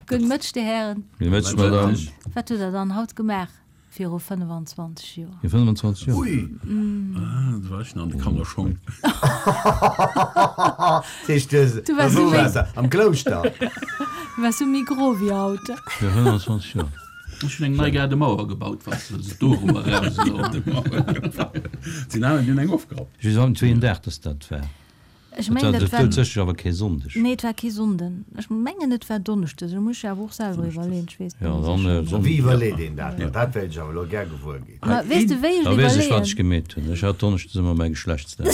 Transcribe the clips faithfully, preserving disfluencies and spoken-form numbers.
Gudde Mëtteg, Dir Hären. Gudde Mëtteg, Madame. Wat hutt Der dann haut gemaach viru fënnefenzwanzeg Joer? Viru fënnefenzwanzeg Joer? Ui! Ah, do war ech nach an de Kannerschong. Dat heescht, du Du waars wou sou waars de? Am Klouschter? Du waars sou méi gro wéi haut. Viru fënnefenzwanzeg Joer. Ech hunn eng nei Gaardemauer gebaut, wann s de wëlls dorobber eraus elo. Sinn aner, déi hunn eng ofgerappt. Ech weess awer net, wéi een Dag dass dat war. Ech Et war mengen, et war. doudsécher awer kee Sonndeg. Nee, et war kee Sonnden. Ech mengen, et war Donneschdes. Elo muss ech awer och selwer iwwerleeën. Ech weess et Ja, net dann sécher. Sonnden. Wéi iwwerleet een dat dann? Dat wéilt ech awer elo gär gewuer ginn. Ma weess de, wéi ech Da et weess ech, wat ech iwwerleeën? gemeet hunn. Ech hat Donneschdes ëmmer mäi Geschlechtsdag.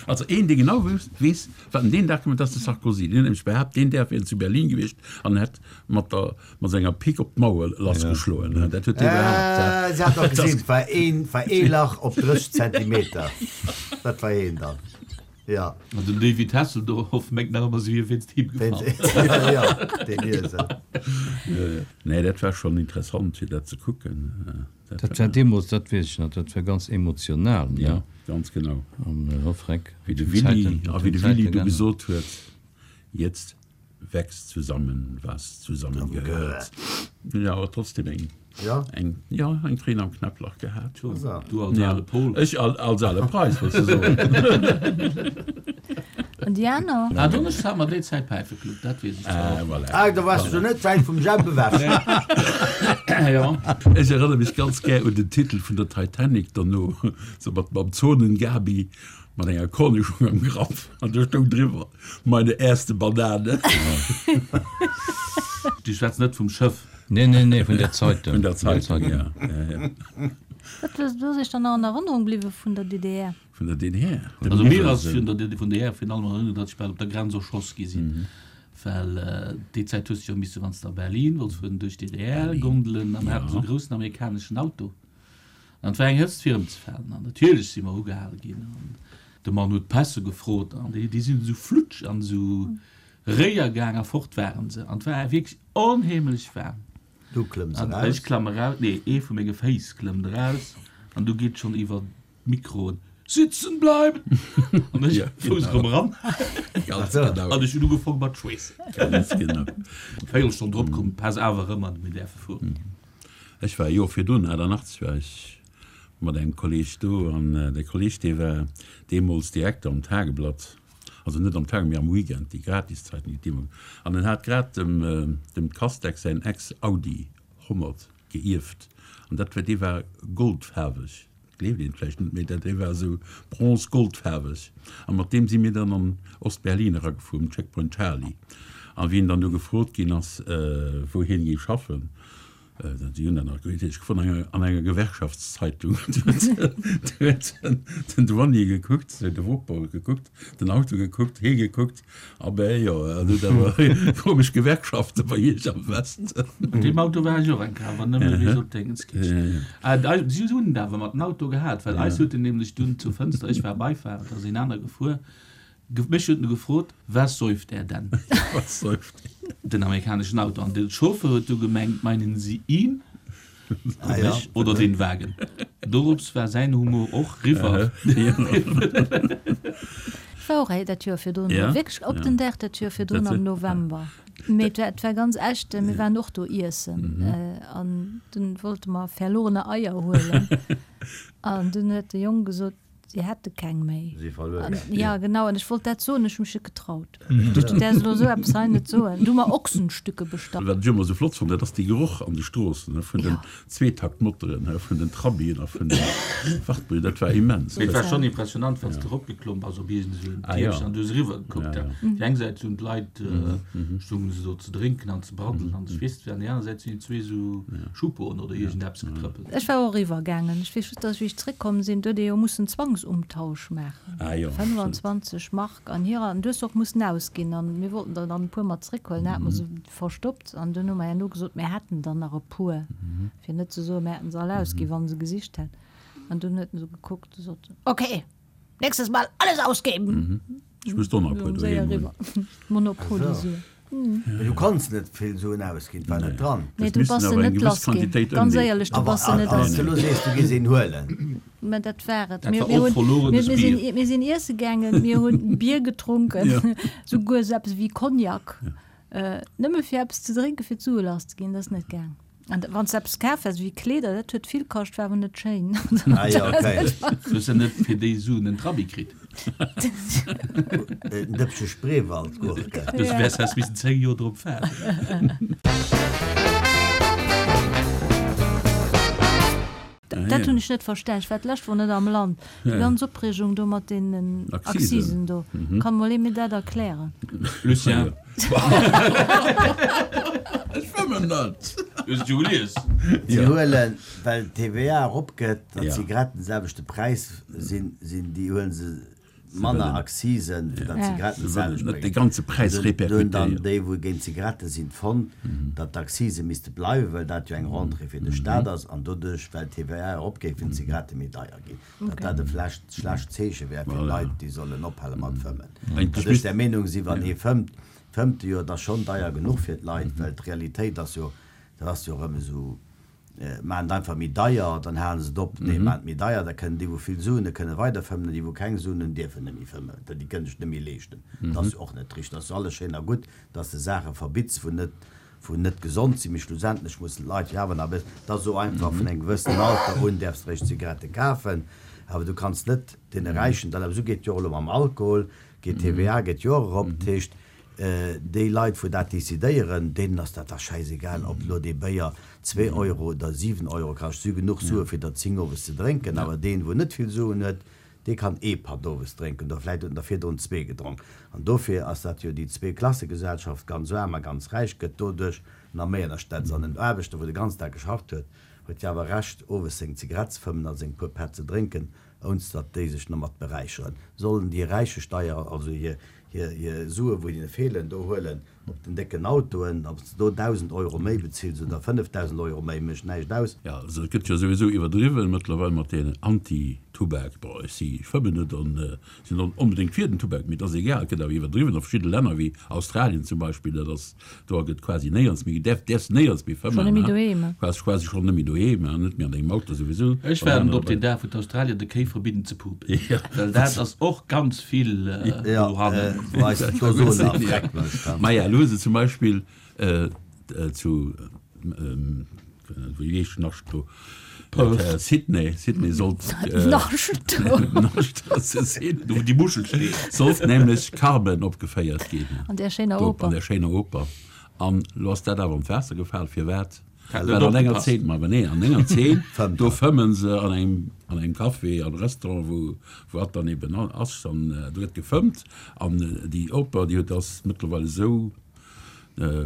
Also een, dee genau weess, wat en deen Dag gemaach huet, dat ass de Sarkozy. Deen huet nämlech behaapt, deen Dag wier en zu Berlin gewiescht an hätt mat der, mat senger Pick op d'Mauer lassgeschloen. Dat huet dee behaapt. Äh, se hat och gesinn, et war een, war ee Lach op drësseg Zentimeter. Dat war een dann, ja. An den David Hasselhoff mengt nach ëmmer, si wier wéinst him gefall. Jo, deen Iesel. Nee, dat war schonn interessant, fir dat ze kucken. Dat war deemools, dat weess ech nach, dat war ganz emotional, ne? Ja, ganz genau. An, oh Freck, Wéi de hunn Willy, d'Zäiten, a hunn wéi de Willy d'Zäite du geännert. gesot huet, Jetzt wächst zusammen, was zusammengehört. Hunn awer trotzdem eng, Ja. eng, ja, eng Tréin am Knäpplach gehat. Du als Ja. ale Pol. Ech als ale Preis, wolls de soen. An déi aner? Ah, Donneschdes hate mer déi Zäit Päifeclub, dat weess ech zwar Ah, och. voilà. Ah, da waars du net wäit vum Jemp ewech. Ja. Ech erënnere mech ganz gär un den Titel vun der Titanic derno, sou mat mam Zonen-Gabi mat enger Kornischong am Grapp, an do stoung driwwer, Meine erste Banane. Du schwätz net vum Schëff. Nee, nee, nee, vun der Zeitung. Vun der Zeitung, ja. Ja, ja. Wat ass Iech dann nach an Erënnerung bliwwe vun der D D R? Vun der D D R? Dem Also mir ass Iwwersen. vun der vun der D D R virun allem an Erënnerung, datt ech bal op der Grenz erschoss gi sinn. Well déi Zäit hues de jo misse, wann s de a Berlin wollts fueren, duerch d'D D R gondelen a mir haten esou e groussen amerikaneschen Auto. An et war eng Hëtzt fir ëmzefalen. An natierlech si mer ugehale ginn an de Mann huet d'Pässe gefrot an déi déi sinn esou flutsch an esou réier gaang a fort waren se. An et war wierklech onheemlech waarm. Du klëmms An eraus. ech klamm eraus, nee, ee vu menge Féiss klëmmt eraus an du geet schonn iwwer d'Mikroen, Sitzen bleiben! An ech Ja, Fouss genau. erëm eran. Ganz Ach so. genau. An ech hunn ugefongen mat schweessen. Ganz genau. Véierelstonn drop koum d'Päss awer erëm an mir däerfe fueren. Ech war e Joer virdrun, aachtannachtzeg war ech mat engem Kolleg do an de Kolleg dee war deemools Direkter am Tageblatt, also net am Tageblatt, mee am Weekend, déi Gratiszeitung, déi et deemools, an en hat grad dem dem Castex säin Ex-Audi honnert geierft an dat war, dee war goldfaarweg, gleeft een vläicht net, mee dat dee war esou bronze-goldfaarweg a mat deem si mir dann an Ost-Berlin eragefuer um Checkpoint Charlie an wéi en dann do gefrot ginn ass, wou hien géif schaffen, Si hunn dat nach gutt ech gefonnt, an enger, an enger Gewerkschaftszeitung. Du huet den Douanier gekuckt, de Wopor gekuckt, den Auto gekuckt, hee gekuckt, a bäh, jo, en huet awer komesch Gewerkschafte bei Iech am Westen. Mat deem Auto war ech och eng Kéier, awer nëmme bis op Dingenskirchen. Si hunn et awer mat den Auto gehat, well eis huet en nämlech dunn zur Fënster, ech war Beifahrer, da sinn aner gefuer, Mech huet en gefrot, Was säuft er denn? Was säuft er? Den amerikaneschen Auto. An de Chauffeur huet du gemengt, Meinen Sie ihn? Ah ja. Mech oder den Wagen? Dorops war säin Humor och riwwer. Ech war och hei dat Joer virdrun, Ja? wierklech op Ja. den Dag dat Joer virdrun Dat am November. Mee et war, et war ganz echt, mir waren och do iessen an dunn wollte mer verlorene Eier huelen an dunn huet de Jong gesot, Si hätte keng méi. Si verluer An, gaang. ja, genau, an ech wollt dat soen, ech hu mech net getraut. Du däers elo esou eppes hei net soen. Du hu mer Ochsenstücke bestallt. Wat ech ëmmer esou flott fonnt, dat ass dee Geroch an de Stroossen, vun den Ja. Zweetaktmotoren, vun den Trabien a vun den Wartburgen, dat war immens. Mee et war schonn impressionant, wann s de eropgeklomm bass op iergend esou en Ah, ja. Tiermchen an du hues eriwwer gekuckt. Ja, ja. Déi eng Säit hunn d'Leit, stoungen se do ze drénken an ze braddelen an ech weess net wéi, an déi aner Säit sinn déi zwee esou Schupoen oder iergend eppes getrëppelt. Ech war och eriwwer gaangen. Ech weess just, dass, wéi ech zréckkomm sinn, do huet ee jo mussen Zwangsumtausch maachen. Ah jo, stimmt. fënnwanzwanzeg Mark an hirer, an du hues se och mussen ausginn. An mir wollten der dann e puer mat zréckhuelen, da hate mer se verstoppt. An dunn hu mer herno gesot, mir hätten der nach e puer, fir net ze soen, mir hätten se all ausginn, wa se gesicht hätt. An dunn huet en esou gekuckt a sot, Okay, nächstes Mal alles ausgeben! Ech muss do nach e puer Séier doheem hunn. eriwwer. Monopoly-Suen. Mee du konns net vill Suen ausginn, et war net dran. Nee, Et du missten bass se awer eng net gewëss lass ginn. Quantitéit Ganz ëmleeën. éierlech, du Awer bass se net wann lass s de elo sees, du giss een huelen. Mä dat war et. Dat Mir, war mir och hunn, verlorenes mir, mir Bier. sinn, mir sinn iesse gaangen, mir hunn Bier getrunken, Ja. souguer esou eppes wéi Cognac. Äh, nëmme fir eppes ze drénken, fir d'Sue lass ze ginn, dat ass net gaang. An wann s eppes kaf häss, wéi Kleeder, dat huet vill kascht, war awer net schéin. Ah jo, okay. Du hues ja net fir déi Suen en Trabi kritt. En Dëppche Spreewaldgurke. Du wäers häss missen zéng Joer drop waarden. Dat hunn ech net verstan. Ech war d'lescht Woch net am Land. Déi ganz Opreegung do mat deenen Akzisen. Akzisen do. Kann mol ee mir dat erklären? Lucien. Ech fëmmen net. Du hues et jo gelies. Si huelen, well d'T V A eropgëtt, datt Ja. d'Zigaretten selwechte Präis sinn, sinn, déi huelen se manner Akzisen, fir datt Ja. d'Zigaretten Se wëllen d'selwecht net de bréngen. ganze Präis Dunn hunn dann repercutéieren. déi, wou géint d'Zigarette sinn, fonnt, datt d'Akzise misste bleiwen, well dat jo eng Rentrée fir de Staat ass, an doduerch, well d'T V A eropgeet, géifen d'Zigarette méi deier ginn. Datt dat e vläicht schlecht Zeeche wär fir Voilà. d'Leit, déi sollen ophale mat fëmmen. Eigentlech Well ech misst- der Meenung sinn, wann ee fëmmt, fëmmt e jo, dat ass schonn deier genuch fir d'Leit, well d'Realitéit ass jo, dat ass jo erëm esou, maachen et einfach méi deier, dann halen se et op, nee, maachen et méi deier, da kënnen déi, wou vill Suen hunn, kënne weider fëmmen, an déi, wou keng Suen hunn, dierfen net méi fëmmen, déi kënnen sech net méi leeschten. Dat ass jo och net richteg. Dat ass jo alles schéin a gutt, dass de Saache verbitts, wou net, wou net gesond sinn, mee schlussendlech mussen d'Leit jo awer nach e bëssen, dat ass esou einfach, vun engem gewëssenen Alter un däerfs de eréischt Zigarette kafen, awer du kanns net deene Räichen dann, awer esou geet et jo och elo mam Alkohol, geet d'T V A geet jo och erop, dat heescht, déi Leit wou dat decidéieren, deenen ass dat da schäisegal, ob elo dee Béier zwee Euro oder siwen Euro kascht. Si hu genuch Sue fir der zéng owes ze drénken, awer deen wou net vill Suen huet, dee kann ee Patt owes drénken oder vläicht huet en der virdrun zwee gedronk. An dofir ass dat jo déi Zweeklassegesellschaft, ganz aarm a ganz räich, gëtt doduerch nach méi ënnerstetzt. An en Aarbechter wou de ganzen Dag geschafft huet, huet jo awer Recht owes seng Zigarett ze fëmmen a seng puer Pätt ze drénken, ounst datt déi sech domat beräicheren. Sollen déi Räiche Steier, also hir hir hir Sue wou hinne feelen, do huelen op den décken Autoen, ob s de do dausend Euro méi bezills oder fënnefdausend Euro méi, mécht näischt aus. Jo, also et gëtt jo souwisou iwwerdriwwen mëttlerweil mat deenen Anti-Tubak. Bon, ech si, ech fëmmen net an sinn net onbedéngt fir den Tubak, mee et ass egal, et gëtt awer iwwerdriwwen a verschidde Länner wéi Australien zum Beispill, dat ass, do gëtt quasi néierens méi, däerf, däerfs néierens méi Schonn fëmmen, net méi hein, doheem. quasi, quasi schonn net méi doheem, hein, net méi an dengem Auto souwisou. Ech waarden op deen Dag, wou d'Australier de Kéi verbidden ze pupen, well dat ass och ganz vill dohannen. Wou eis d'Ozon nach Dreck mécht. Maja, elo hu se zum Beispill zu, wéi heescht Nascht do? Perth. Sydney, Sydney sollt Nascht do. Nascht ass sinn. Do wou déi Muschel steet. Sollt nämlech Carmen opgeféiert ginn. An där schéiner Do, Oper. An där schéiner Oper. An elo ass dat awer an d'Waasser gefal. Firwat? Hat Well net an enger opgepasst. Zeen, ma nee, an enger Zeen, Fëmmt do er. fëmmen se an engem, an engem Café, an Restaurant, wou, wou hatt dann eben ass, an do gëtt gefëmmt. An déi Oper, déi huet, ass mëttlerweil esou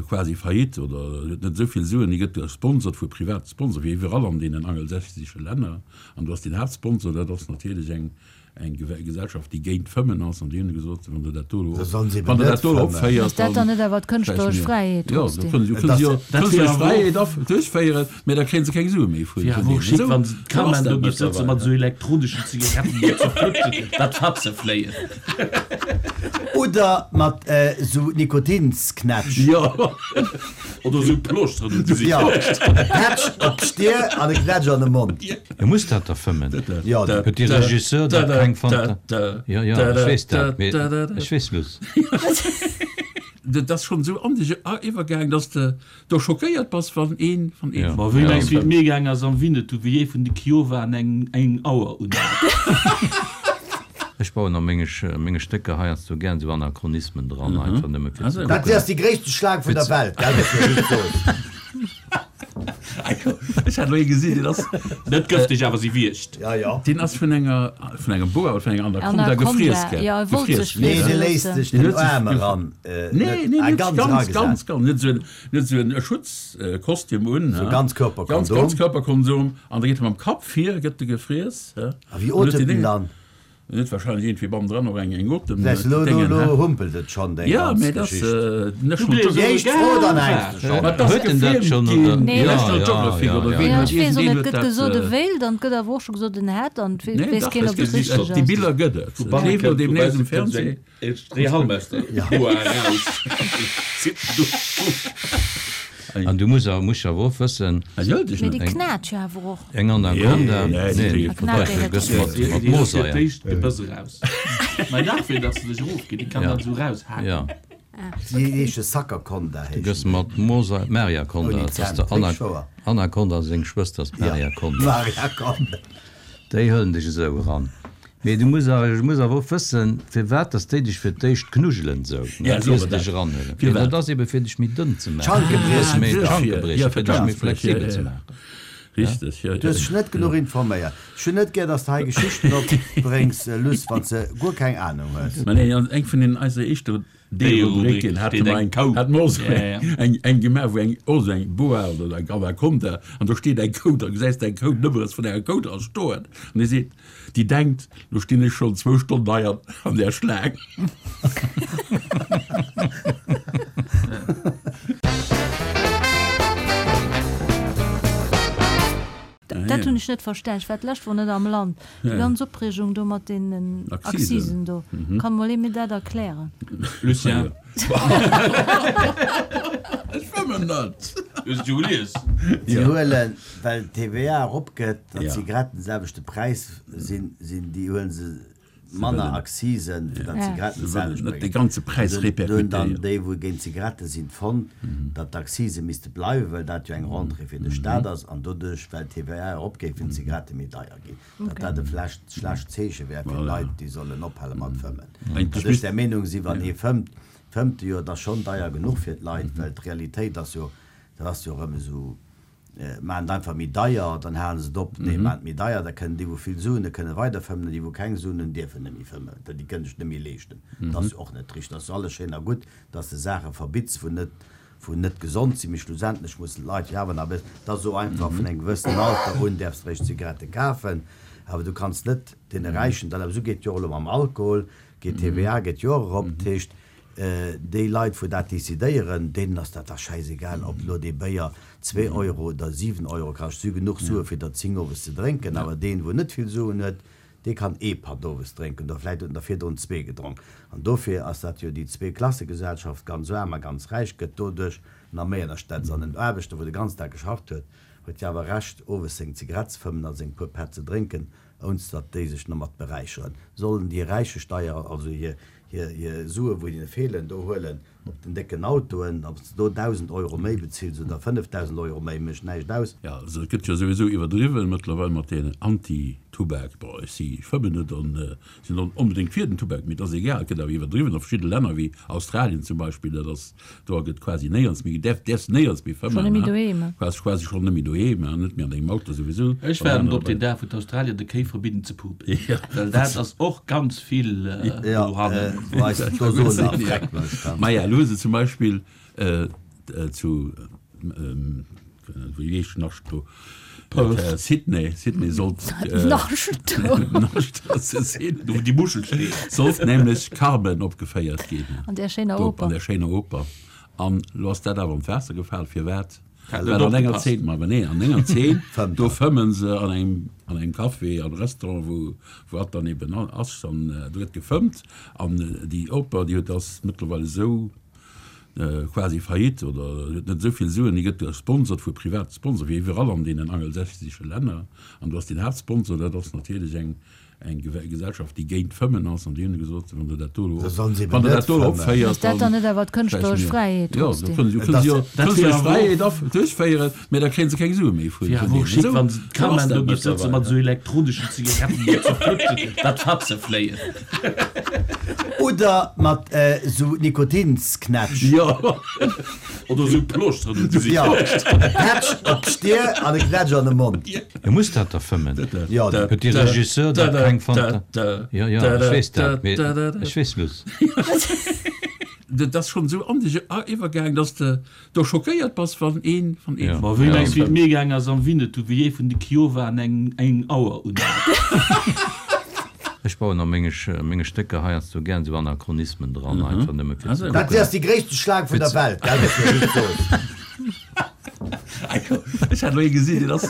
quasi faillite oder huet net esou vill Suen, déi gëtt gesponsert vu private Sponsor, wéi iwwerall an deenen angelsächsesche Länner. An do ass den Haaptsponsor, dat ass natierlech eng, eng Gesellschaft, déi géint d'Fëmmen ass, an déi hunn gesot, wann Der dat do elo, Da sollen se eben wann Der net dat do elo fëmmen. opféiert, Ass dat dann net awer d'kënschtleresch Fräiheet Jo, da trotzdem? kënnen se, kënnen se jo Et ass- Dat d'kënschtleresch wier awer och- Fräiheet af, duerchféieren, mä da kréien se keng Sue méi vun, Wier vun awer och deenen. schick, Esou, wann se esou ass d'Kameraen dat do géif sëtze mëttlerweil. mat esou elektroneschen Zigaretten, déi ze flutschen, dat Fatze fléien. Oder mat esou Nikotinsknätsch. Jo. Oder esou Ploschteren um Gesicht. Jo, e Patch op d'Stier an e Knätsch an de Mond. E muss dat da fëmmen. Jo, Huet de Regisseur da keng Fanta? Jo, jo, ech weess dat, mee ech weess lues. Dat ass schonn esou an dech iwwergaang, dass de do schockéiert bass, wann een, wann een. Ja. Ma wéi Ja. mengs wéi et mir gaang ass am Winnetou, wéi ee vun de Kiowaen eng, eng Auer un hat? Ech bauen a menge, menge Stécker heiansdo gären esou Anachronismen dran, einfach nëmme fir ze Also. Dat kucken. ass déi gréisste Schlaang vun der Welt, gell, dass du dat soos. Ech hat elo ee gesinn, deen ass. Net gëfteg, awer si wiergt. Ja, ja. Deen ass vun enger, vun engem Boa oder vun enger Anaconda Anaconda, gefriess ginn. ja, e wollt Gefriess sech Nee, ginn. dee léisst sech Deen den huet sech Aarm gef- eran. Äh, Nee, net, nee, ah, net ganz ganz, eragesat. ganz, ganz, net esou en, net esou en Schutzkostüm un, So ha. Ganzkörperkondom. Ganz, Ganzkörperkondom. An da geet e mam Kapp vir, gëtt e gefriess, ha. A wéi An huet otemt déi en Dénge- dann? En huet wahrscheinlech iergendwéi bannendran och eng, eng Otem, Säis, lo, lo, Déngen, lo ha. humpelt et schonn, deng Ja, ganz mee dat ass, Geschicht. äh, National Du Geographic. Déi éischt Fro, dann hänks de schonn. Ma dat ass Huet en dat gefilmt schonn, ginn. oder? Nee. Ja, National ja, Geographic ja, oder ja. ween Ja, huet ech weess och iergendeen net, huet gëtt dat, gesot e äh, wéilt an et gëtt awer och scho gesot en hätt an et Nee, weess dach, keen, es ob et gëtt, richteg déi ass. Biller gëtt et. Et leeft elo deemnächst um Fernseh. Rehalmeister. Ja. An du muss awer, muss awer och wëssen, Mee déi knätsch jo awer och. Eng Anaconda, Nee, nee, nee, knat déi net. gëss mat, mat Déi ass fir Mooseier. d'éischt d'Gebëss eraus. Mei dach fir dass se sech erofginn, déi kann dat esou eraushaken. Ja, Déi heesche Sackerconda du gëss heeschen déi. mat Mooseier, Mariaconda, Ouni dat ass Zänn, der Ana, richteg wouer. Anaconda seng Schwëster ass Ja, d'Mariaconda. Mariaconda. Déi hëllen dech esou eran. Mee du muss awer, du muss awer och wëssen, firwat dass déi dech fir d'éischt knuddelen esou, Ja, ne, so ier se dat. dech eranhuelen. Firwat? Dat ass ebe fir dech méi dënn ze maachen. D'Schanke briechen. Méi Ja, d'Schanke ja, briechen, fir fir dech méi d'Schanke briechen, flexibel ja, ze ja. maachen. Richteg, ja, Du hues dech net genuch informéiert. Ech hunn net gär, dass de hei Geschichten opbréngs, Luss, wann s de guer keng Anung hues. Mä nee, an eng vun den eiser éischter D-Rubriken hat steet mer eng eng Kou. hat mer och Ja, ja. eng eng gemaach, wou eng och sou eng Boa oder eng Anaconda, an do steet eng Kou, da gesäis de eng Kou, d'Nummere vun enger Kou dra stoen, an déi seet, déi denkt, lo stinn ech schonn zwou Stonnen hei an an där Schlaang. Dat hunn ech net verstan. Ech war d'lescht Woch net am Land. Déi ganz Opreegung do mat deenen Akzisen. Akzisen do. Kann mol ee mir dat erklären? Lucien. Ech fëmmen net. Hues du gelies? Si huelen, well d'T V A eropgëtt, datt Ja. d'Zigaretten de selwechte Präis sinn, sinn, déi huelen se manner Akzisen, fir datt Ja. d'Zigaretten Se wëllen d'selwecht net de bréngen. ganze Präis Dunn- dunn dann repercutéieren. déi, wou géint Zigarette sinn, fonnt, datt d'Akzise misste bleiwen, well dat jo eng Rentrée fir de Staat ass, an doduerch, well d'T V A eropgeet, géifen d'Zigarette méi deier ginn. Datt dat e schlecht, schlecht Zeeche wär fir Voilà. d'Leit, déi sollen ophale mat fëmmen. Eigentlech Datt ech misst- der Meenung sinn, wann ee fëmmt, fëmmt jo, dat ass schonn deier genuch fir d'Leit, well d'Realitéit ass jo, dat ass jo erëm esou, maachen et einfach méi deier, dann halen se et op, nee, maachen et méi deier, da kënnen déi, wou vill Suen hunn, kënne weider fëmmen, an déi, wou keng Suen hunn, dierfen net méi fëmmen, déi kënnen sech net méi leeschten. Dat ass jo och net richteg. Dat ass jo alles schéin a gutt, dass de Saache verbitts, wou net, wou net gesond sinn, mee schlussendlech mussen d'Leit jo awer nach e bëssen, dat ass esou einfach, vun engem gewëssenen Alter un däerfs de réischt Zigarette kafen, awer du kanns net deene Räichen, dat awer esou geet jo och elo mam Alkohol, geet d'T V A geet jo och erop, dat heescht, déi Leit, wou dat decidéieren, deenen ass dat da schäisegal, ob elo dee Béier zwee Euro oder siwen Euro kascht. Si hu genuch Sue fir der zéng owes ze drénken, awer deen, wou net vill Suen huet, dee kann ee Patt owes drénken oder vläicht huet en der virdrun zwee gedronk. An dofir ass dat jo déi Zweeklassegesellschaft, ganz aarm a ganz räich, gëtt doduerch nach méi ënnerstëtzt. An en Aarbechter, wou de ganzen Dag geschafft huet, huet jo awer Recht, owes seng Zigarett ze fëmmen a seng puer Pätt ze drénken, ounst datt déi sech domat beräicheren. Sollen déi Räiche Steier, also hir, hir, hir Sue, wou hinne feelen, do huelen op den décken Autoen, ob s de do dausend Euro méi bezills oder fënnefdausend Euro méi, mécht näischt aus. Ja, also et gëtt jo souwisou iwwerdriwwen mëttlerweil mat deenen Anti-Tubak. Bon, ech si fëmmen net an sinn net onbedéngt fir den Tubak, mee et ass egal, et gëtt awer iwwerdriwwen a verschidde Länner wéi Australien zum Beispill, dat ass, do gëtt quasi néierens méi, däerf, däerfs néierens méi Schonn fëmmen, net méi ne? doheem. Quasi, quasi schonn net méi doheem, net méi an dengem Auto souwisou. Ech waarden op den Dag, wou d'Australier de Kéi verbidden ze pupen. Ja. Well dat ass och ganz vill Ja, dohannen. wou eis d'Dose nach Dreck mécht, ja. Maja, elo hu se zum Beispill zu, wéi heescht Nascht do? Perth. Sydney, Sydney sollt Nascht do. Nascht ass e Sinn. Do wou déi Muschel steet. Sollt nämlech Carmen opgeféiert ginn. An där schéiner Do, Oper. An där schéiner Oper. An elo ass dat awer an d'Waasser gefal. Firwat? Hat Well net an enger opgepasst. Zeen, ma nee, an enger Zeen, Fëmmt do er. fëmmen se an engem, an engem Café, an Restaurant, wou, wou hat dann eben ass, an do gëtt gefëmmt. An déi Oper, déi huet ass mëttlerweil esou quasi faillite oder huet net esou vill Suen, déi gëtt gesponsert vu private Sponsor, wéi iwwerall an deenen angelsächsesche Länner. An do ass den Haaptsponsor, dat ass natierlech eng, eng Gew-, Gesellschaft, déi géint Fëmmen ass, an déi hunn gesot, wann der dat do elo Da sollen se eben wann der net dat do elo fëmmen. opféiert, Ass dat dann net awer d'kënschtleresch vläicht mir. Fräiheet Ja, da trotzdem? kënnen se, Et kënnen se ass- jo Dat wär d'kënschtleresch awer och- Fräiheet af-, duerchféieren, mä da kréien se keng Sue méi vun, Wär vun awer och deenen. schick, Esou, wann se so ass d'Carmen dat do géif sëtze mëttlerweil. mat esou elektroneschen Zigaretten, déi ze flutschen, dat Fatze fléien. Oder mat esou Nikotinsknätsch. Ja. Oder esou Ploschteren um Gesicht. Ja, e Patch op d'Stier an e Knätsch an de Mond. E muss dat da fëmmen. Ja, Da, Huet de da, Regisseur da, da da, keng Fanta- da, da, Ja, ja, da, ech da, weess dat, da, mee da, da, da. ech weess Luss. Dat ass schonn esou an dech iwwergaang, dass de do schockéiert bass, wann een van een Ja. Ma wéi Ja. mengs, wéi et mir gaang ass am Winnetou, wéi ee vun de Kiowa eng, eng Auer un hat? Ech bauen a menge, menge Stécker heiansdo gär esou Anachronismen dran, einfach nëmme fir ze Also, Dat kucken. ass déi gréisste Schlaang vun der Welt, gell, dass du just soos. Ech hat elo ee gesinn, deen ass.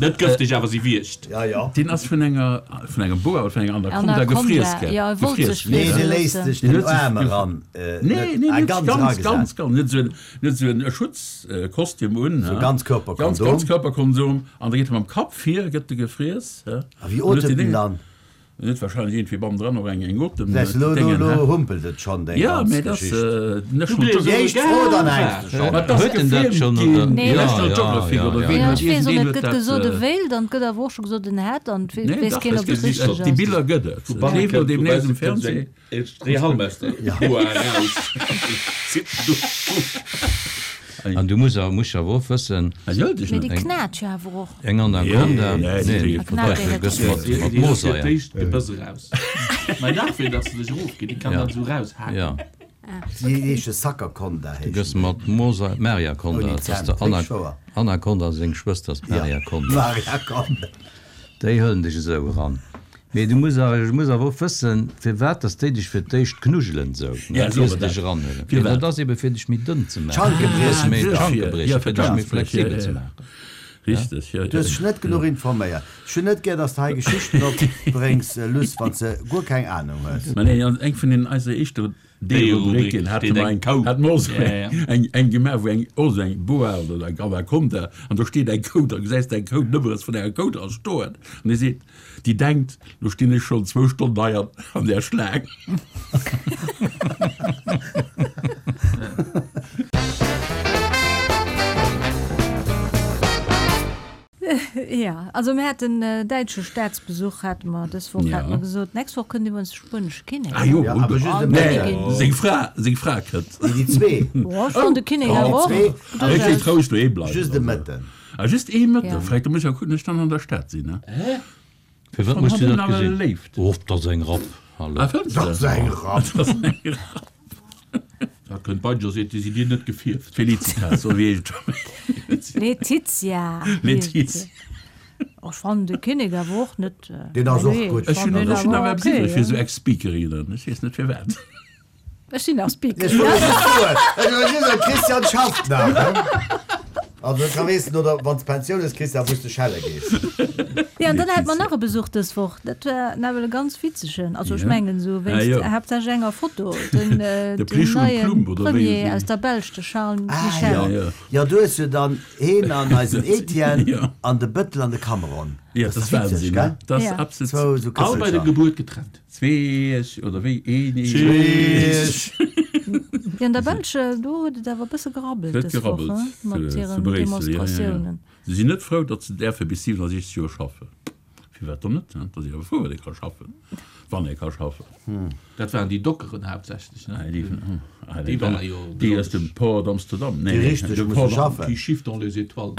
Net gëfteg, awer si wiergt. Ja, ja. Deen ass vun enger, vun engem Boa oder vun enger Anaconda Anaconda, gefriess ge, jo, e wollt gefriess sech Nee, friesse dee léisst loossen. sech Deen den huet sech Aarm gef eran, Nee, net, nee, ah, net ganz ganz, eragesat. ganz, ganz, net esou en, net esou en Schutzkostüm un, Sou he, ganz Ganzkörperkondom. Ganzkörperkondom, an da geet e mam Kapp vir, gëtt e gefriess, he, A wéi an huet otemt deen en Déngen. dann? En huet wahrscheinlech iergendwéi bannendran och eng eng Otem Säis lo, lo, Déngen, lo he? humpelt et schonn, deng Ja, ganz mee dat ass Geschicht. National Du Déi éischt Geographic. Fro, dann hänks de schonn. Ma et ass Huet en dat gefilmt schonn, oder? ginn, Nee. Ja, National ja, Geographic ja, oder ja. ween Ja, huet ech weess och iergendeen net, huet gëtt dat. gesot e wéilt an et gëtt awer och scho gesot en hätt an et Nee, weess dach, keen et ob et gëtt richteg déi ass. Biller gëtt et. Vu Et banne leeft elo kënnt, vu deemnächst bausse um kënnt sou Fernseh. eng Dréihalmester Boa eraus. Zitt do. An du muss awer, muss awer och wëssen, Ah, jo, déi Mee déi Eng- knat jo awer och. eng Anaconda, Nee, nee, nee, déi knat du gëss mat, Déi mat déi ass fir Mooseier. d'éischt d'Gebëss eraus. Mä dach, fir datt se sech erofgeet, déi kann Ja. dat esou raushaken. Ja, Si heesche Sackerkonda, du gëss heeschen déi. mat Mooseier, Mariaconda, Ouni dat ass Zänn, der Ana, richteg wouer. Anaconda seng Schwëster ass Ja, d'Mariaconda. Mariaconda. Déi hëllen dech esou eran. Mee du muss awer, muss awer och wëssen, firwat dass déi dech fir d'éischt knuddelen esou, Ja, ne, so ier se dat. dech eranhuelen. Mee Firwat? dat ass ebe fir dech méi dënn ze maachen, D'Schanke fir dech briechen. méi Dofir, d'Schanke ja, briechen, fir fir dech méi d'Schanke briechen, flexibel ja, ze ja. maachen. Richteg, ja, Du hues ja. dech net genuch informéiert. Ech hunn net gär, dass de hei Geschichten opbréngs, Luss, wann s de guer keng Anung hues. Mä nee, an eng vun den eiser éischter D-Rubrik D-Rubriken hate steet mer eng eng, Kou. hat mer och esou Ja, ja. eng, eng gemaach, wou eng, och esou eng Boa oder eng Anaconda, an do steet eng Kou, da gesäis de eng Kou nëmmeres vun enger Kou dra stoen. An déi seet, déi denkt, lo stinn ech schonn zwou Stonnen hei an, an där Schlaang. Ja, also mir haten däitsche Staatsbesuch hate mer dës Woch, Ja. hate mer gesot. D'nächst Woch kënnt iwwerens de spuenesche Kinnek. Ah jo, Ja, awer just e nee, Mëtten. seng Fra, seng Fra kënnt. Nee, déi zwee. Oh, ech fannen de Kinnek Oh, awer och. déi zwee. Ah, ech géif roueg doheem bleiwen. Just e also. Mëtten. Ah, just ee Mëtten. Ja. Vläicht da muss ech ja kucken, ech dann an der Stad sinn, ne? Fir wat muss du dat gesinn? Léift. Oh, dat ass eng Rapp. Hallo. Ah, fënns Dat ass de? eng Rapp. Dat ass eng Rapp. Dat kënnt bei José, déi si dir net gefierft. Felicitas, so wéi heescht Letizia. Letizia. Oh, ech fannen de Kinnek awer och net. Deen ass och Nee, gutt. Ech hunn fannen ech hunn awer awer okay, eppes iwwreg fir ja. esou Ex-Speakerinnen. Ech weess net firwat. Ech sinn nach Speakerin. Ech wollt just soen, ech wollt just soen, Christian schafft nach, ne? Also ka weess oder wann s Pensioun hues, Christian, wou s de schelle gees. Ja, an dann hat mer nach e Besuch dës Woch. Dat war nawell e ganz witzegen. Also ech Ja. mengen esou Ah, wéinst jo. haaptsächlech enger Foto. Den, äh, De den Plüsch und neien Plumb, oder wéi Premier se- aus der Belsch, de Charles Ah, Michel. ja. Ja, ja. Ja, du hues jo dann heen an eisen Etienne Ja. an de Bëttel an de Cameron. Ja, Dat dat ass ass witzeg, Wahnsinn, gell? ne? Dat ass Ja. absolut. Zwou esou All bei der Kësselcher. Gebuert getrennt. Zwee oder wéi een Zwee. Ja, an der Belsch, do huet et awer e bësse gerabbelt Huet dës Woch, gerabbelt, hein, mat zu, zu hiren Bréissel, ja, ja, ja. Demonstratiounen. Se sinn net frou, datt se däerfe bis siewenundsechzeg Joer schaffen. Firwat dann net, hein? Da si awer frou, wann ee ka schaffen. Wann ee ka schaffen. Dat waren déi Dockeren haaptsächlech, ne? Ah, déi, ah, Déi déi, waren jo déi aus dem besonnesch. Port d'Amsterdam. Nee, Déi nee, richteg de musse Port d'Am- schaffen. Qui chiffre dans les étoiles.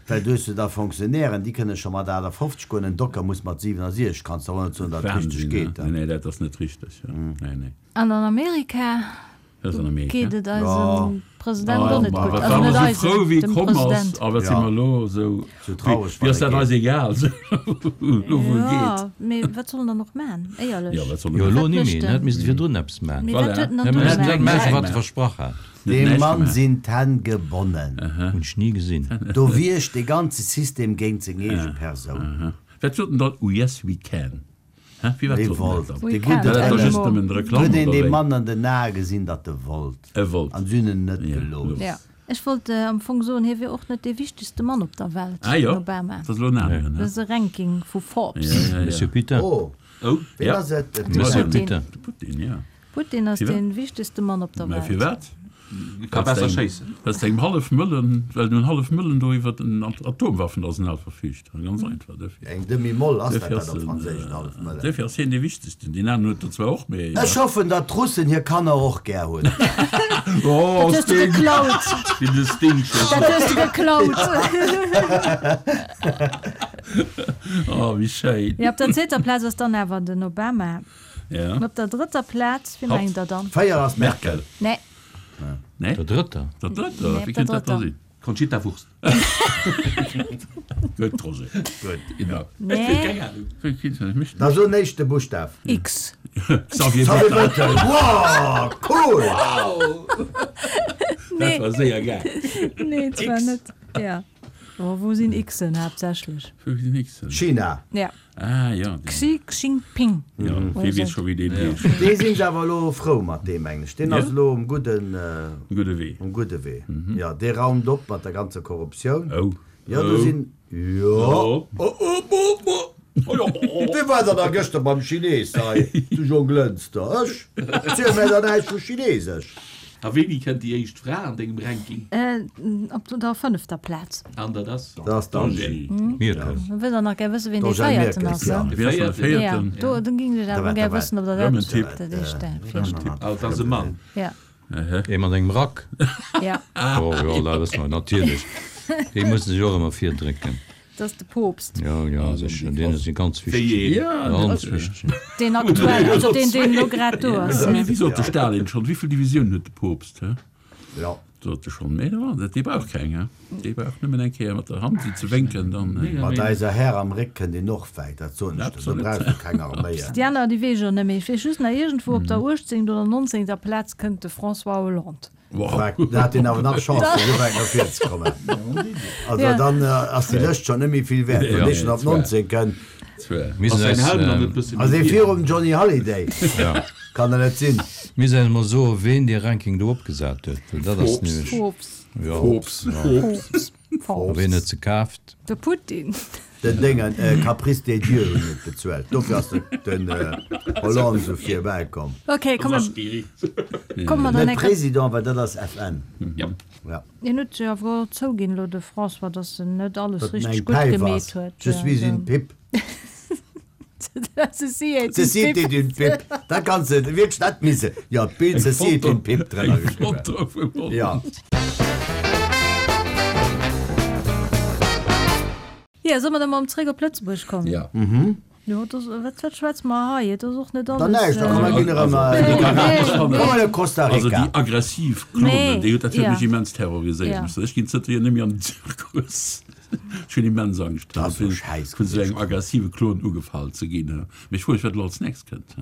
Well du hues jo da Fonctionnairen, déi kënne scho mat achtafofzeg goen, en Docker muss mat siewenundsechzeg. Kanns der och net soen, datt et richteg Wahnsinn, geet, ne? hein? Nee, nee, dat ass net richteg, ja. Nee, nee. An an Amerika Dat ass an Amerika. geet et eisem Ja. President Ah, och net ma gutt. wat Also waren net mer sou eisem, frou, wéi dem komm ass, President. a wat si Ja. mer elo sou, Sou traureg, wéi wann ass e dat geet. eis egal, sou elo wou e Ja, geet. mee wat soll en dann och man, éierlech? Ja, wat soll en Jo, man? elo Wat ni mécht méi, en? en hätt misste virdrun eppes man. Mee Voilà. wat huet en dann Hien do hätt gemaach? dat maachen, wat Näischt e versprach hat. Huet Deem näischt Mann gemaach. sinn d'Hänn gebonnen. Hunn ech ni gesinn. Do wierkt dee ganze System géint seng eege Persoun. Aha. Wat sot en dann? Oh yes, we can. Hä? Wéi wat Dee sot en dat wollt. dann? We De can. gudden Dat ass doch just Anymore. nëmmen Reklamm, Huet een oder deem wéi? Mann an den Ae gesinn, datt e wollt. E wollt. An si hunn en net Ja, gelooss. gelooss. Ja. Ech wollt am Fong soen, hie wier och net dee wichtegste Mann op der Welt, Ah jo, den Obama. dat ass elo en aneren, Dat ne? ass e Ranking vu Forbes. Ja, ja, ja. Monsieur Putin. Oh, Oh. ween Ja. ass et? De Monsieur Putin. Putin. De Putin, ja. Putin ass Firwat? dee wichtegste Mann op der Mä Welt. firwat? Ka besser schéissen. Well s engem hallef Mëllen, well en hallef Mëllen do iwwer den Atomwaffenarsenal verfüügt. Ganz einfach dofir. Eng Demi-Moll ass dat Dofir dat ass op en, Franséisch, en hallef Mëllen. Dofir ass hien dee Wichtegsten. Deen aneren huet der zwar och, mee. Ech hoffen, datt d'Russen hir Kanner och gär hunn. Oh, Dat hues du Sting! geklaut! Wéi de Sting scho Dat hues du geklaut! Oh, wéi schéin. Ja, op der zweeter Plaz ass dann awer den Obama. Ja. An op der drëtter Plaz, wie Hatt. mengt der dann? Véier ass Merkel. Merkel. Nee. Nee? Der drëtter? Der drëtter? Nee, Wie op der kënnt dat da drëtter. sinn? Conchita Wurst. Gutt, Roger. Gutt. Genau. Nee. Keng Ahnung. Wéi kënnt dat nicht? Da so en éischte Buschtaf. X. Xavier Xavier Bettel. Bettel. Wow, cool! Dat Nee. war séier gaang. Nee, zwar X. net. Ja. Oh, wou sinn Xen haaptsächlech? Wou sinn Xen? China. Ja. Ah, ja. Deen. Xi Jinping. Ja, wee weess scho wéi deen heescht. Dee sinn se awer elo frou mat deem, mengen ech. Deen ass elo um gudden. Um gudde Wee. Um gudde Wee, jo. Dee raumt op mat der ganzer Korruptioun. Oh. Jo, do sinn. Jo. Oh, oh, oh, oh. Wee war dann da gëschter beim Chines hei zu Jonglënster? Ech? Ziel mär da näischt vu Chinesesch. A wéini kënnt déi éischt Fra an dengem Ranking? Op der fënnefter Plaz. An dat ass? Dat ass d'Angie. Mierkel. Da wëllt der nach gär wëssen, wien dee D'Angèle Véierten Merkel, ass, ja. ne? Wien ass dann de Véierten? Ja, do, do géing ech awer gär wëssen, ob der Rëm en dat, Tipp. dat éischt Rëm en Tipp. Ah, dat ass e Mann. Ja. Ee mat engem Rack. Ja. Oh jo, dat wësse mer natierlech. Déi musse sech och ëmmer virdrécken. Dat ass de Poopst. Jo, jo, sécher. Deen ass ganz Wéi wichteg. een? Ja, Ganz wichteg. Deen aktuell, also deen, deen elo grad do ass. Mee wéi sot de Stalin schonn, wéi vill Divisiounen huet de Poopst, hä? Ja. Sot e schonn. Mee jo, dat, dee brauch keng, hä? Dee brauch nëmmen eng Kéier mat der Hand esou ze wénken, dann. Mat eiser Här am Réck kënnt een och wäit, dat soen ech der. Do Absolut. brauchs du keng Arméien. Déi aner, déi weess ech och net méi. Ech weess just nach, iergendwou op der uechtzéngt oder nonzéngter Plaz kënnt de François Hollande. Wow. Da hat deen awer nach Chance, fir esou wäit no vir ze kommen. Also Ja. dann ass déi Lëscht schonn net méi vill wäert, wann dee schonn op nonzéng kënnt. Mir Ass sinn säin eis, Helm dann net bësse Ass méi ee vir? virum Johnny Hallyday? ja. Kann der net sinn. Mir sinn eis mol soen, ween dee Ranking do opgesat huet, well dat ass Forbes. nämlech. Forbes. Ja. Forbes. Forbes. A ween huet se kaaft? De Putin. Den Déngen, Caprice des Dieux hunn et bezuelt. Dofir ass den Hollande esou virbäi komm. Ok, komm mer, komm mer dann Net eng Kéier. Président, well dat ass F N. Ja. Ja. Hien huet jo awer och zouginn elo, de François, datt en net alles Datt en richteg eng gutt Päif gemeet ass. huet. Je suis une pipe. Ceci est une Ceci pipe. est une pipe. Da kanns de wierklech dat misse. Jo, d'Bild Ceci est une pipe drënner geschriwwen. Ja. Jo, solle mer da mol zréck op Lëtzebuerg kommen? Ja. Jo, dat ass, wat, wat schwätze mer hei? Et ass och net Dann alles. näischt, da komm mer ginn erëm Nee, Nicaragua. nee, Komm mer no Costa Also Rica. déi aggressiv Klonen, Nee, déi huet dat huet ja. mech immens terroriséiert. Ja. Muss ech ginn zënterhier net méi an den Zirkus. Ech hunn immens Angscht, Dat ass so vun scheiss vun esou engem gewiescht. aggressive Klon ugefall ze ginn. Mee ech froe mech, wat elo als nächst kënnt.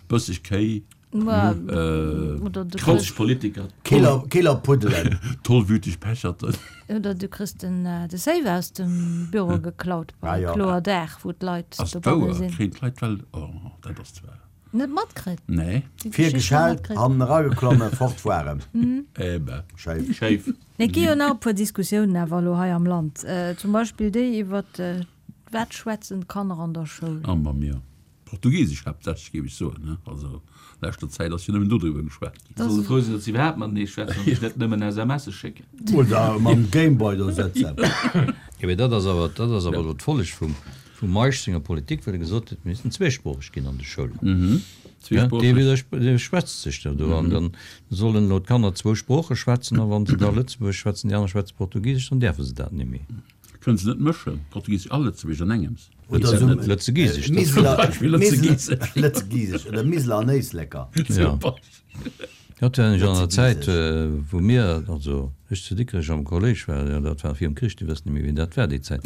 Bësseg Kéi, Ma, äh, oder du Trotzeg kriss, Politiker. Killer, Killerpuddelen. tollwüteg Pecherten. oder du kriss den, de Safe aus dem Büro geklaut Ah, bei ja. kloer Dag, wou d'Leit Ass dobanne wouer? sinn. Kréien d'Leit well, oh, dat ass zwar. Net matkritt? Nee. Déi Vir Geschicht net geschellt, matkritt? hannen erageklommen, fort waren. Eben. Schéif. Schéif. Et gi jo nach e puer Diskussiounen awer elo hei am Land. Zum Beispill déi iwwer wat schwätzen d'Kanner an der Schoul. Ah, ma mir. Portugiesesch haaptsächlech, géif ech soen, ne? Also, leschter Zäit ass jo nëmmen dodriwwer geschwat ginn. Solle frou sinn, datt se iwwerhaapt matenee schwätzen an sech net nëmmen S M Sse schécken. Oder mam Gameboy do sëtzen. Jo, mee dat ass awer, dat ass awer elo d'Folleg vum, vum Meisch senger Politik, well e gesot huet, mir missten zweesproocheg ginn an de Schoulen. Mhm. Ja, dee Zweesproocheg. widdersp-, dee schwätzt sech da do an dann sollen elo d'Kanner zwou Sprooche schwätzen a wann se da Lëtzebuergesch schwätzen, déi aner schwätze Portugisesch, dann däerfe se dat net méi. Kënnen se net mëschen, Portugisesch a Lëtzebuergesch an engems? Oder esou Lëtzegisesch, dat Miseler, Zum Beispill Lëtzegisesch. Lëtzegisesch oder Miseler an Éisleker. Ja. Dat war nämlech an der Zäit, Lëtzegisesch. wou mir, also ech zu Dikrech am Kolléisch war, jo dat war virum Krich, déi wëssen net méi wéi dat war déi Zäit,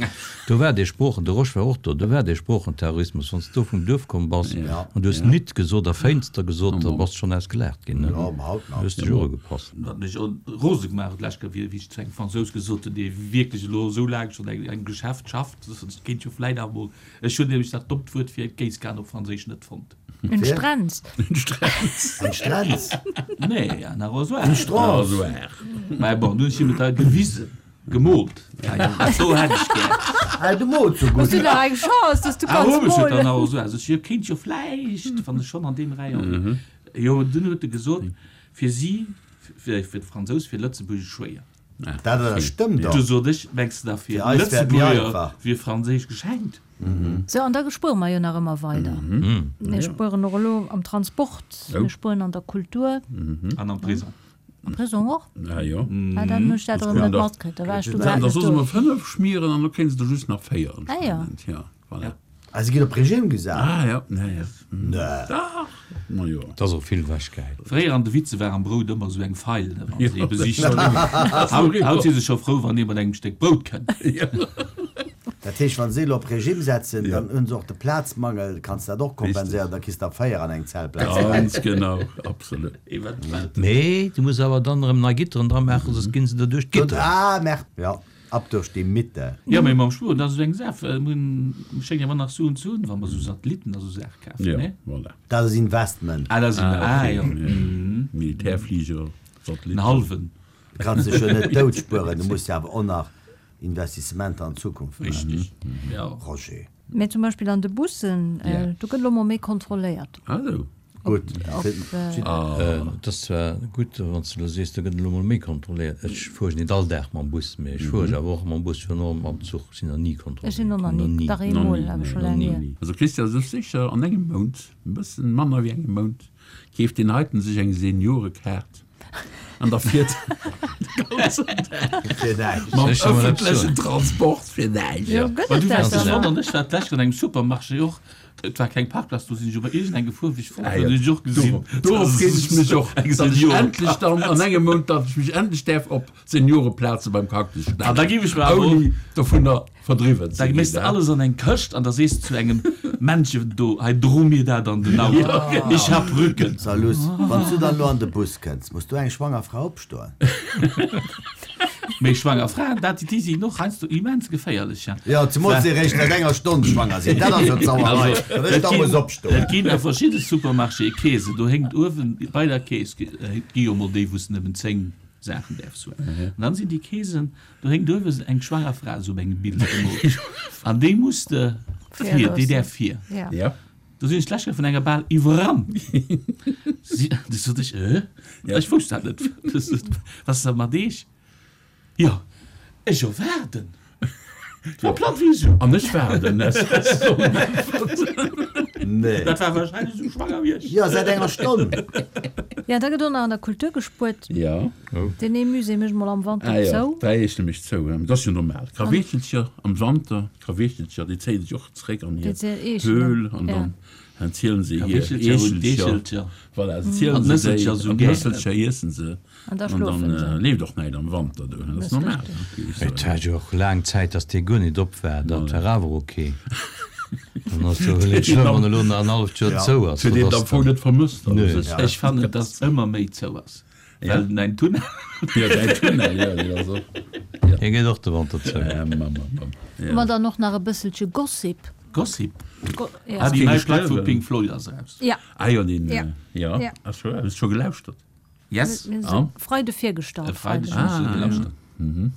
do war dee Sproochen, de Rosch war och do, do war dee Sproochenterrorismus, wann s du vum Duerf komm bass an du hues nit gesot a Féinster gesot, da bass schonn ausgelaacht ginn, ne? Ja, haut nach. Du hues dech ugepasst. Wat mech rose gemaach huet d'lescht Kéier, wéi ech zu engem Fransous gesot hunn, dee wierklech elo esou laang schonn eng engem Geschäft schafft, ech kéint jo vläit awer mol, ech hunn nämlech dat dommt Wuert fir Géisskan op Franséisch net fonnt. En Strenz. En Strenz. En Strenz? Nee, en Arrosoir. En Strauss. Arrosoir. Mä bon, du hunn ech him et hei gewisen, gemoolt. Ja, jo, dat do hätt ech gär. Hey, du mools sou Hues gutt. du nach eng Chance, dass du Ah, kanns hu ech huet molen. en Arrosoir. Sot ech, jo, kéint jo vläicht, wann ech schonn an deem Rayon. Jo, dunn huet e gesot, fir si, fir, fir d'Fransous, fir Lëtzebuergesch schwéier. Dat dat stëmmt Du doch. sot ech, mengs de da fir Fir eis wär et méi Lëtzebuerger einfach. wier Franséisch geschenkt? Sou, an da spuere mer jo nach ëmmer weider. Mir spueren och elo am Transport, mir spueren an der Kultur. An am Prisong. Am Prisong och? Ah jo. Ah, dann hunn ech dat erëm net matkritt, da war ech du grad Da net soll se do. mer fënnef schmieren an da kréien se der just nach véier Ah jo. anscheinend. Ja, voilà. Ah, se ginn op Regime gesat? Ah ja, ja, ja. Nee. Dach, ma jo. Dat ass och vill wechgehäit. Fréier an de Witze war am Brout ëmmer esou eng Feil, ne, wann se ee besicht hunn. Haut, haut si se scho frou, wann ee mat engem Stéck Brout kënnt. Dat heescht, wann se elo op Regime setzen, dann hunn se och de Plazmangel, kanns dat och kompenséieren, da kriss der véier an eng Zellplaz. Ganz genau, absolut. Eventuell. Mee du muss awer dann erëm nei Gitteren dra maachen, soss ginn se der duerch d'Gitteren. Ah, merde, ja. Ab durch die Mitte. Jo, mee mam Spueren, dat ass esou eng Saach. Mir schéngen awer nach Suen ze hunn, wa mer esou Satellitten a sou Saache kafen, Jo, nee? voilà. Dat ass Investment. Ah, dat ass Inve-, Ah, ah, okay. jo. Mhm. Militärfliger, Satellitten. En halwen. Du kanns dech jo net dout spueren, du muss jo awer och nach Investissementer an d'Zukunft maachen. Richtig, jo. Roger. Mee zum Beispill an de Bussen, do gëtt elo mol méi kontrolléiert. Ah, esou. Gutt. Et ass zwar gutt, wann s de elo sees, do gëtt elo mol méi kontrolléiert. Ech fuere nit all Dag mam Bus, mee ech fuere awer och mam Bus, virun allem mam Zuch sinn nach ni Ech sinn och kontrolléiert nach ginn, nach ni, ni. dach Nach eemol, ni, awer scho nach laang ni. hier. Also Christian, sech sécher an engem Mount, e bëssen manner wéi engem Mount, keeft deen heiten sech eng Seniorekaart an da fiert de ganzen Dag Fir näischt. mam Ech soll mol eppes ëffentlechen soen. Transport fir näischt. Jo, gëtt Well et du dat wäers dech dann? wonnern, ech war d'lescht an engem Supermarché och, Et war keng Parkplaz, do sinn ech op iergend eng gefuer, wéi ech fort war, hunn ech och gesinn, Dorop freet ech mech och, eng datt ech Seniorenplaz. endlech dann an engem Mount, datt ech mech endlech däerf op Senioreplaze beim Cactus An da stellen, giff ech mer awer och, ouni dovunner verdriwwen da ze méchs ginn. de alles an eng Këscht an da sees de zu engem Männchen do, hei dro mir dat an den Auto, ich hab Rücken. So Luss, wann s du dann elo an de Bus kënns, muss do eng schwanger Fra opstoen? Mee schwanger Fraen, dat, déi sinn och heiansdo immens geféierlech, ja. Jo, zemools déi eréischt säit enger Stonn schwanger sinn, dat ass jo d'Sauerei, Also, datt ech et da ginn, muss opstoen. et ginn a verschidde Supermarchéë Keesen, do héngt uewen bei der Kees, et gi jo mol déi, wou s de nëmmen zéng Saachen däerfs huelen, an dann sinn déi Keesen, do héngt uewen eng schwanger Fra esou op engem Bild gemoolt, an déi muss de Vir vir, déi loossen. däerf vir. Ja. Ja. Do sinn ech d'lescht Kéier vun enger bal iwwerrannt. Si, du sot ech, äh? Ech wousst dat net. Was ass da mat Eech? Jo, ech jo waarden. War platt wéi esou. An ech waarden. Nee. Dat war wahrscheinlech esou schwanger wéi ech. Jo, säit enger Stonn. Ja, da gëtt och nach an der Kultur gespuert. Ja. Deen ee Musée mécht mol am Wanter Ah ja, zou. dräi eech nämlech zou. Dat ass jo normal. Kraweechelcher am Wanter, d'Kraweechelcher, déi zéie sech och zréck an hir Déi zéien Eechelen. Höhl an Ja. dann dann zielen se hir Kraweechelcher hunn Eechelcher. d'Eechelcher. Voilà, se zielen An se déi d'Nësselcher an souguer. d'Nësselcher iessen se. An da An schlofen dann se. leeft och näischt am Wanter do. Dat ass Dat ass normal, richtig. géif ech Et soen. war jo och laang Zäit, datt dee guer nit op war. Dat war awer ok. Dann ass jo net schlëmm, wann elo nach en halleft Joer Ja. zou ass. Huet een Dat et am ass Fong dann. net vermësst an Nö. sech? Ech fannen, datt ëmmer méi zou ass. Ja. Well däin Tunnel. Ja, däin Tunnel, ja, deen ass och. Ja. Hie geet och de Wanter zou. Ja, mam, mam, mam. Ja. Ma dann och nach e bësselche Gossip. Gossip? Go ja. Ah, déi Kee nei Plack vu gestuerwen? Pink Floyd ass eraus. Ja. Ah jo, deen, Ja. ja. Ja. Ass scho, hues scho gelauschtert? Yes. Mir Ah. si Freide virgestallt. E Freideg Freideg. hunn ech se Ah, gelauschtert. ja.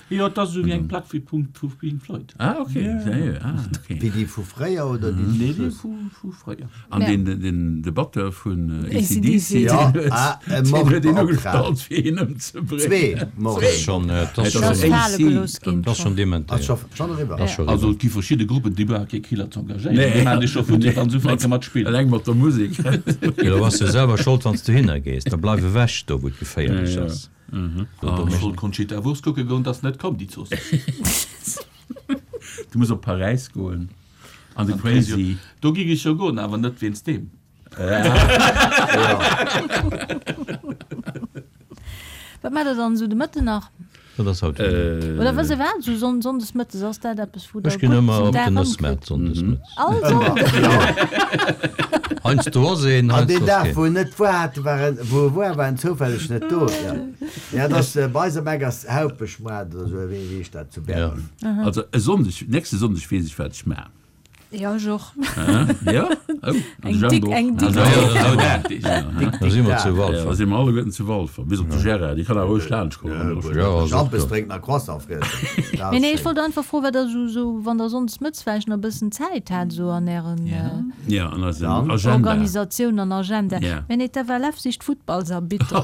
Jo, et ass esou wéi eng Plack vu Punkt vu Pink Floyd. Ah, okay. Ja, ja. Ah, okay. Wéi déi vu fréier oder déi Nee, zum déi Schluss? vu, vu fréier. An Ja. den, den, de Batteur vun A C D A C D C, C. Ja, deen huet, ah, e deen huet een Mordbeoptraagt. ugestallt, fir hien ëmzebréngen. Zwee Dat ass Morden. schonn, dat ass Dat Das ass schonn, fale A C. gelooss ginn dat ass schonn schonn. Ass dementéiert. scho, schonn eriwwer. Dat ass scho Also eriwwer. et gi verschidde Gruppen, déi brauche kee Killer ze engagéieren. Nee. Déi maachen dech scho futti, wann se ufänke mat spillen. Eleng mat der Musek. Jo, da bass du selwer schold, wann s du hinner gees. Da bleif ewech do, wou et geféierlech Ja, ja. ass. Ech wollt Conchita Wurst kucke goen, dat ass net komm, déi Zooss. Du muss op Paräis goen. An de An d'Crazy. Crazy. Do ging ech jo goen, awer net wéinst deem. Wat maacht der dann esou de Mëtten nach? Dat ass haut. Oder wëss e wat, esou Sonn Sonndes mëttes, ass dat eppes, wou der Ech ginn gutt ëmmer den op Dag den ëmkritt? Nëssmaart Sonndes mëttes. All Sonnden? Heiansdo ass een, An deen heiansdo ass Dag, keen. wou en net war, hat, war en, wou e war, war en zoufälleg net do. Ja, ja dat ass, bei eis am Eck ass Haupeschmaart oder esou, wéi heescht dat zu Bern? Ja. Also e Sonndeg, nächste Sonndeg weess ech, wat ech maachen. Ja, ech och. Ja? Oh, Eng dick, eng dick. Also, Da si mer zu Ja, da Walfer. si mer alleguerten zu Walfer, bis op de Gérard, dee kann awer roueg laanscht kommen. Ja, ass och Schampes do. drénken a Croissant friessen. Dat Mee ass nee, ech schéin. wollt einfach froen, wat der esou, esou, wann der sonndes mëttes vläicht nach e bëssen Zäit hat, esou an ären Ja, an eisem Dann? Agenda. Organisatioun an Agenda. Ja. Mee nee, d'F L F sicht Futtballsarbitter.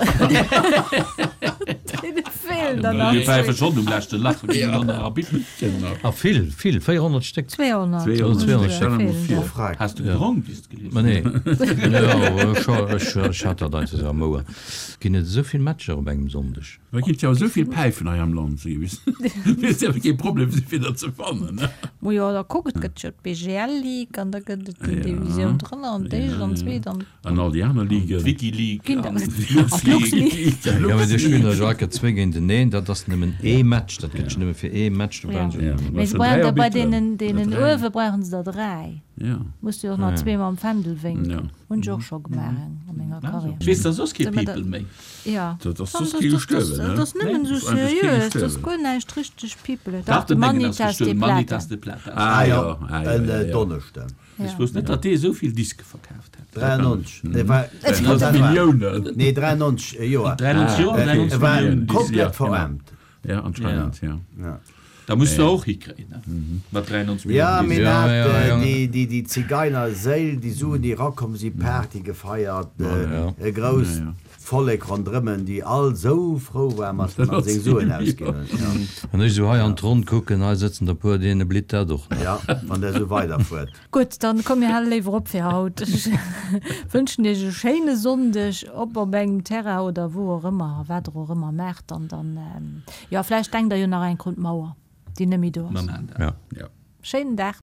Deene feelen der nach Mir päife zwee. schonn um leschte Lach, wir ginn dann nach Arbitter. Genau. A vill, vill, véierhonnert Stéck. zweehonnert. zweehonnert zweehonnert Ja, Stéck. feelen Vill. der. Oh, Freck. Has du gedronk, wéi s de gelies Ma nee. Jo, ech, ech, ech hat dat einfach esou am Ouer. Ginn et esou vill Matcher op engem Sonndeg? Et ginn jo esou vill Päifen hei am Land, sou gewiss. Et ass kee Problem, se fir der ze fannen, ne? Mo jo, da kuck, et gëtt jo d'B G L Ligue an da gëtt et déi Ja. Divisioun drënner an d'éischt an Ja. d'zweet an. An all déi aner Ligen. D'Wiki-League Ginn an der- d'Lux-League. An d'Lux-League. Ja, mee do spillen der jo enke zwee géinteneen, dat ass nëmmen ee Match, dat gëtt jo nëmme fir ee Match, do Ja. brauchen se Ja. Mee se Dräi brauchen der bei Arbitteren. deenen, deenen Dräi. uewe brauchen se der dräi. Ja. Muss du och nach Ja. zwee mam Fändel wénken. Ja. Hunn ech och scho gemaach eng a menger Carrière. Ech weess, da soss kee People méi. Jo. Dat ass soss kee gestuerwen, ne? Dat ass nëmmen esou seriös, dat ass guer näischt richteg People. Dach, de den Déngen ass Manitas de gestuerwen, Plata. Manitas de Plata. Ah jo, ah jo, En jo, jo. Donneschden. Ech wousst net, datt dee esou vill Diske verkaaft hätt. dräiundneunzeg, nee, war, dräiundneunzeg Milliounen. Nee, dräiundneunzeg Joer. dräiundneunzeg Joer, dräiundneunzeg E war Milliounen Diske. komplett Ja, genau. veraarmt. Ja, anscheinend, ja. Ja. Da muss de och hikréien, ne? Mat dräiundneunzeg Ja, Milliounen mee Diske. Ja, dat, ja, ja. déi, déi, déi Zigeinerséil, déi Suen, déi erakomm si, Party gefeiert, Ja. e grousst Ja, ja. Vollek ronderëmmen, déi all sou frou war, mat mat seng Suen ausginn huet. Ja. Wann ech esou hei an d'Ronn kucken, hei sëtzen der puer, deene blitt dat och nach. Ja, wann der sou weiderfuert. Gutt, dann komm mir hale léiwer op fir haut. Ech wënschen iech e schéine Sonndeg, ob op engem Terrain oder wou och ëmmer a wat der och ëmmer maacht. An dann, jo, vläicht denkt der jo nach eng Kéier un d'Mauer, déi net méi do Mer ass. maachen dat. Ja. Ja. Schéinen Dag.